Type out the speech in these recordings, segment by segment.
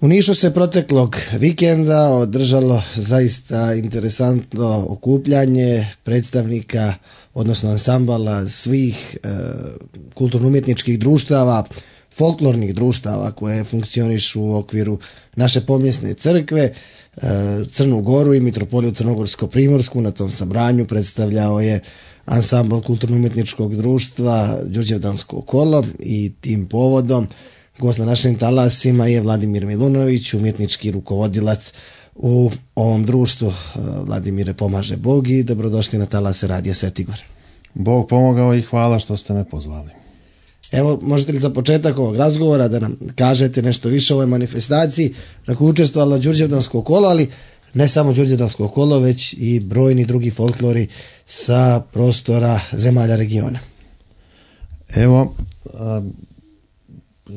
U Nišu se proteklog vikenda održalo zaista interesantno okupljanje predstavnika, odnosno ansambala svih kulturno-umjetničkih društava, folklornih društava koje funkcionišu u okviru naše pomjesne crkve. Crnu Goru i Mitropoliju Crnogorsko-Primorsku na tom sabranju predstavljao je ansambl kulturno-umjetničkog društva Đurđevdansko kolo i tim povodom gost na našim talasima je Vladimir Milunović, umjetnički rukovodilac u ovom društvu. Vladimire, pomaže Bog i dobrodošli na talase Radija Svetigor. Bog pomogao i hvala što ste me pozvali. Evo, možete li za početak ovog razgovora da nam kažete nešto više o ovoj manifestaciji na kojoj učestvovalo Đurđevdansko kolo, ali ne samo Đurđevdansko kolo, već i brojni drugi folklori sa prostora zemalja regiona. Evo,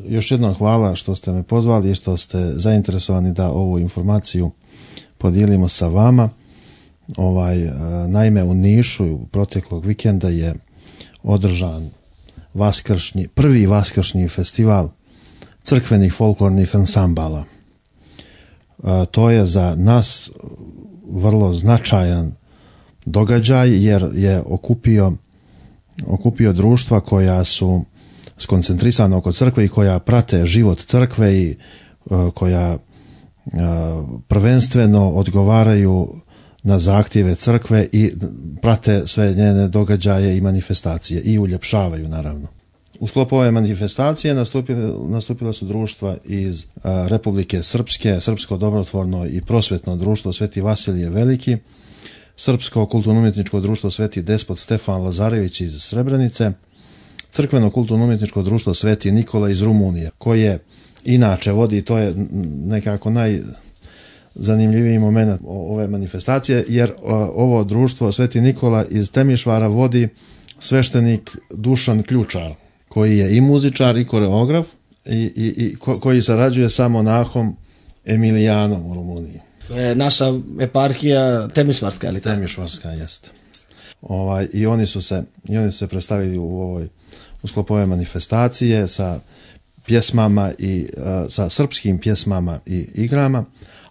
još jednom hvala što ste me pozvali i što ste zainteresovani da ovu informaciju podijelimo sa vama. Naime, u Nišu proteklog vikenda je održan prvi vaskršnji festival crkvenih folklornih ansambala. To je za nas vrlo značajan događaj jer je okupio društva koja su skoncentrisana oko crkve i koja prate život crkve i koja prvenstveno odgovaraju na zahtjeve crkve i prate sve njene događaje i manifestacije i uljepšavaju naravno. U sklopu ove manifestacije nastupila su društva iz Republike Srpske, Srpsko dobrotvorno i prosvjetno društvo Sveti Vasilije Veliki, Srpsko kulturno-umjetničko društvo Sveti Despot Stefan Lazarević iz Srebrenice, Crkveno kulturno-umjetničko društvo Sveti Nikola iz Rumunije, koje inače vodi, to je nekako najzanimljiviji moment ove manifestacije, jer ovo društvo Sveti Nikola iz Temišvara vodi sveštenik Dušan Ključar, koji je i muzičar i koreograf i koji sarađuje sa monahom Emilijanom u Rumuniji. To je naša eparhija Temišvarska, ali tako? Temišvarska, jeste. I oni su se predstavili u sklopu ove manifestacije sa pjesmama i sa srpskim pjesmama i igrama,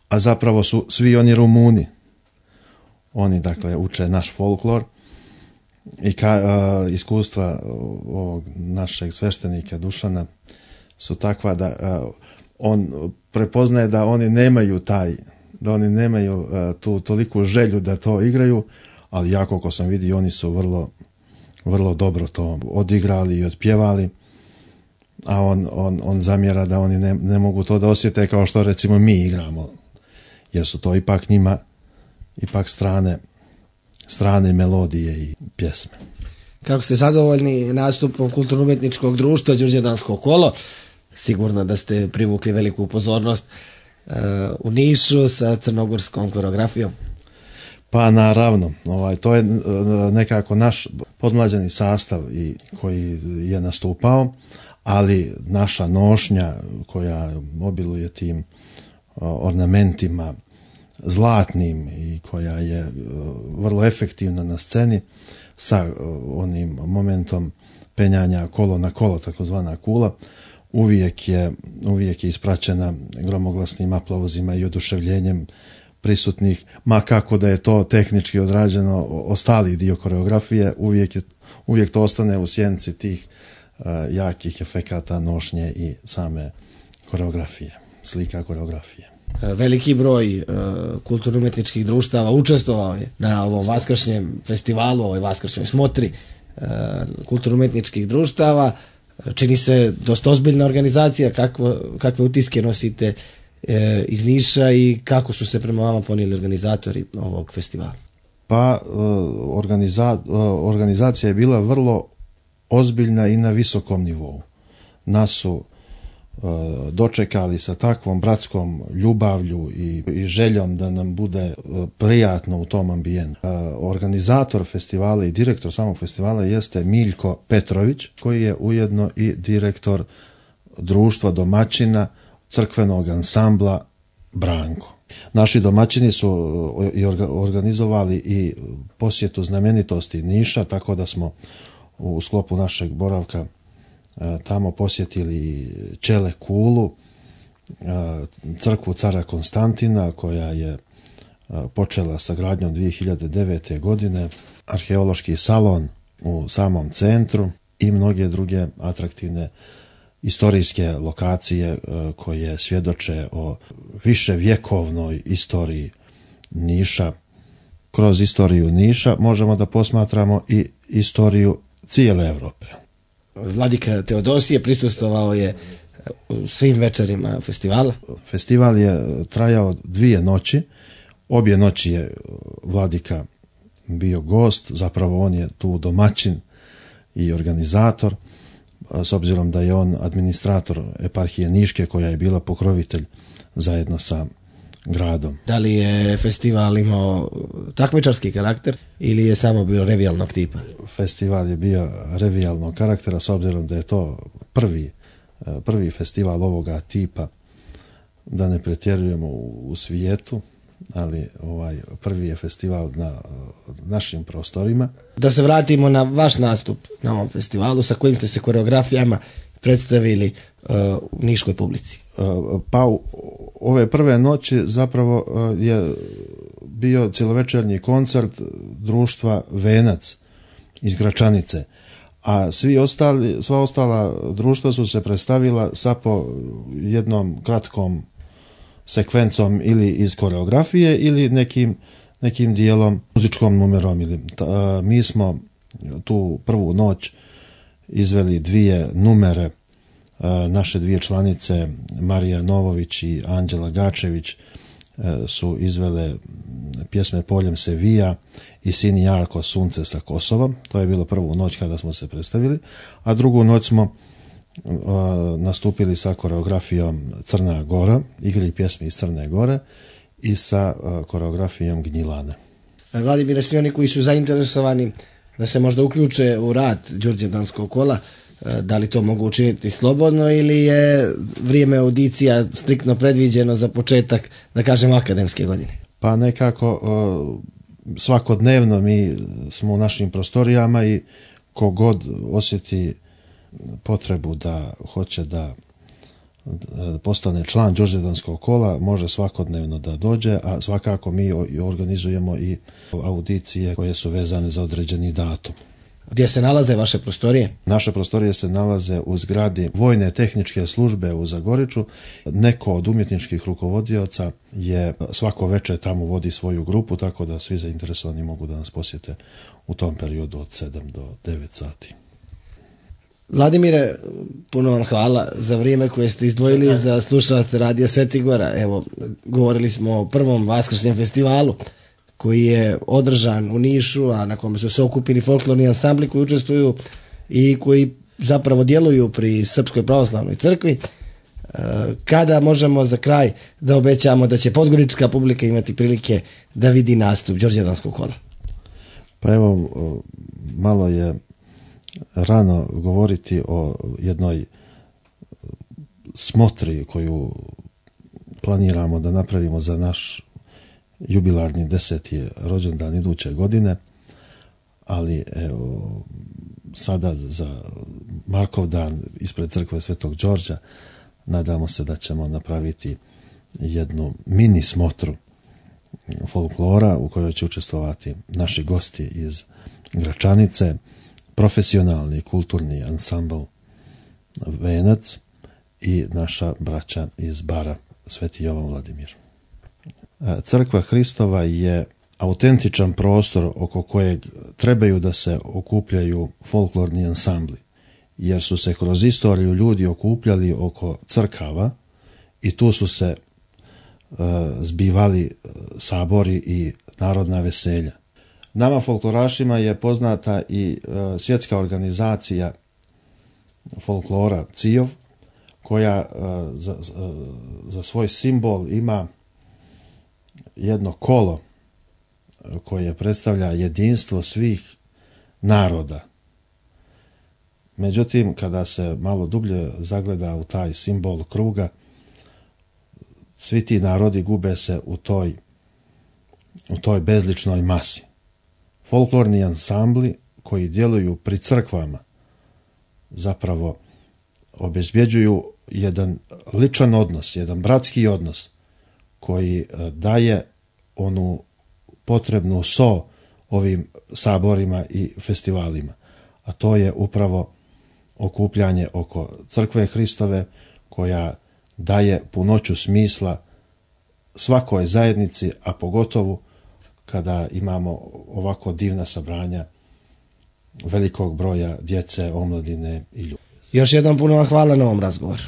a zapravo su svi oni Rumuni. Oni dakle uče naš folklor i iskustva ovog našeg sveštenika Dušana su takva da on prepoznaje da oni nemaju tu toliku želju da to igraju, ali ja koliko sam vidio oni su vrlo, vrlo dobro to odigrali i otpjevali, a on zamjera da oni ne mogu to da osjete kao što recimo mi igramo, jer su to ipak njima strane melodije i pjesme. Kako ste zadovoljni nastupom kulturno-umjetničkog društva Đurđevdansko kolo? Sigurno da ste privukli veliku pozornost u Nišu sa crnogorskom koreografijom. Pa naravno, to je nekako naš podmlađeni sastav koji je nastupao, ali naša nošnja koja obiluje tim ornamentima zlatnim i koja je vrlo efektivna na sceni sa onim momentom penjanja kolo na kolo, takozvana kula, uvijek je ispraćena gromoglasnim aplauzima i oduševljenjem prisutnih, ma kako da je to tehnički odrađeno, ostali dio koreografije, uvijek to ostane u sjenci tih jakih efekata nošnje i same koreografije, slika koreografije. Veliki broj kulturno-umjetničkih društava učestvovao je na ovom vaskršnjem festivalu, ovoj vaskršnjoj smotri kulturno-umjetničkih društava. Čini se dosta ozbiljna organizacija. Kakve utiske nosite iz Niša i kako su se prema vama ponijeli organizatori ovog festivala? Pa organizacija je bila vrlo ozbiljna i na visokom nivou. Nas su dočekali sa takvom bratskom ljubavlju i željom da nam bude prijatno u tom ambijentu. Organizator festivala i direktor samog festivala jeste Miljko Petrović, koji je ujedno i direktor društva domaćina crkvenog ansambla Branko. Naši domaćini su organizovali i posjetu znamenitosti Niša, tako da smo u sklopu našeg boravka tamo posjetili Čele kulu crkvu cara Konstantina koja je počela sa gradnjom 2009. godine, arheološki salon u samom centru i mnoge druge atraktivne istorijske lokacije koje svjedoče o viševjekovnoj istoriji Niša. Kroz istoriju Niša možemo da posmatramo i istoriju cijele Europe. Vladika Teodosije prisustvovao je svim večerima festivala. Festival je trajao 2 noći. Obje noći je vladika bio gost, zapravo on je tu domaćin i organizator, s obzirom da je on administrator eparhije Niške koja je bila pokrovitelj zajedno sa gradom. Da li je festival imao takmičarski karakter ili je samo bio revijalnog tipa? Festival je bio revijalnog karaktera s obzirom da je to prvi festival ovoga tipa, da ne pretjerujemo u svijetu, ali prvi je festival na našim prostorima. Da se vratimo na vaš nastup na ovom festivalu, sa kojim ste se koreografijama predstavili u niškoj publici. Pa ove prve noći zapravo je bio cjelovečernji koncert društva Venac iz Gračanice, a sva ostala društva su se predstavila sa po jednom kratkom sekvencom ili iz koreografije ili nekim dijelom muzičkom numerom. Mi smo tu prvu noć izveli 2 numere. Naše 2 članice Marija Novović i Anđela Gačević su izvele pjesme Poljem se vija i Sin Jarko Sunce sa Kosovom. To je bilo prvu noć kada smo se predstavili, a drugu noć smo nastupili sa koreografijom Crna Gora, igri pjesmi iz Crne Gore i sa koreografijom Gnjilane. Vladimire, svi oni koji su zainteresovani da se možda uključe u rad Đurđevdanskog kola, da li to mogu učiniti slobodno ili je vrijeme audicija striktno predviđeno za početak, da kažem, akademske godine? Pa nekako svakodnevno mi smo u našim prostorijama i kogod osjeti potrebu da hoće da postane član Đurđevdanskog kola može svakodnevno da dođe, a svakako mi organizujemo i audicije koje su vezane za određeni datum. Gdje se nalaze vaše prostorije? Naše prostorije se nalaze u zgradi Vojne tehničke službe u Zagoriču. Neko od umjetničkih rukovodioca je svako večer tamo vodi svoju grupu, tako da svi zainteresovani mogu da nas posjete u tom periodu od 7 do 9 sati. Vladimire, puno vam hvala za vrijeme koje ste izdvojili za slušalce Radija Svetigora. Evo, govorili smo o prvom vaskršnjem festivalu koji je održan u Nišu, a na kome su se okupili folklorni ansambli koji učestvuju i koji zapravo djeluju pri Srpskoj pravoslavnoj crkvi. Kada možemo za kraj da obećamo da će podgorička publika imati prilike da vidi nastup Đurđevdanskog kola? Pa evo, malo je rano govoriti o jednoj smotri koju planiramo da napravimo za naš jubilarni 10. rođendan iduće godine, ali evo, sada za Markov dan ispred crkve Svetog Đorđa nadamo se da ćemo napraviti jednu mini smotru folklora u kojoj će učestvovati naši gosti iz Gračanice, profesionalni kulturni ansambl Venac i naša braća iz Bara Sveti Jovan Vladimir. Crkva Hristova je autentičan prostor oko kojeg trebaju da se okupljaju folklorni ansambli, jer su se kroz istoriju ljudi okupljali oko crkava i tu su se zbivali sabori i narodna veselja. Nama folklorašima je poznata i svjetska organizacija folklora CIOV, koja za svoj simbol ima jedno kolo koje predstavlja jedinstvo svih naroda. Međutim, kada se malo dublje zagleda u taj simbol kruga, svi ti narodi gube se u toj bezličnoj masi. Folklorni ansambli koji djeluju pri crkvama zapravo obezbjeđuju jedan ličan odnos, jedan bratski odnos koji daje onu potrebnu so ovim saborima i festivalima. A to je upravo okupljanje oko crkve Hristove koja daje punoću smisla svakoj zajednici, a pogotovo kada imamo ovako divna sabranja velikog broja djece, omladine i ljudi. Još jednom puno vam hvala na ovom razgovoru.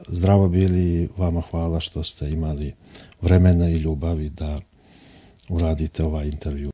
Zdravo bili, vama hvala što ste imali vremena i ljubavi da uradite ovaj intervju.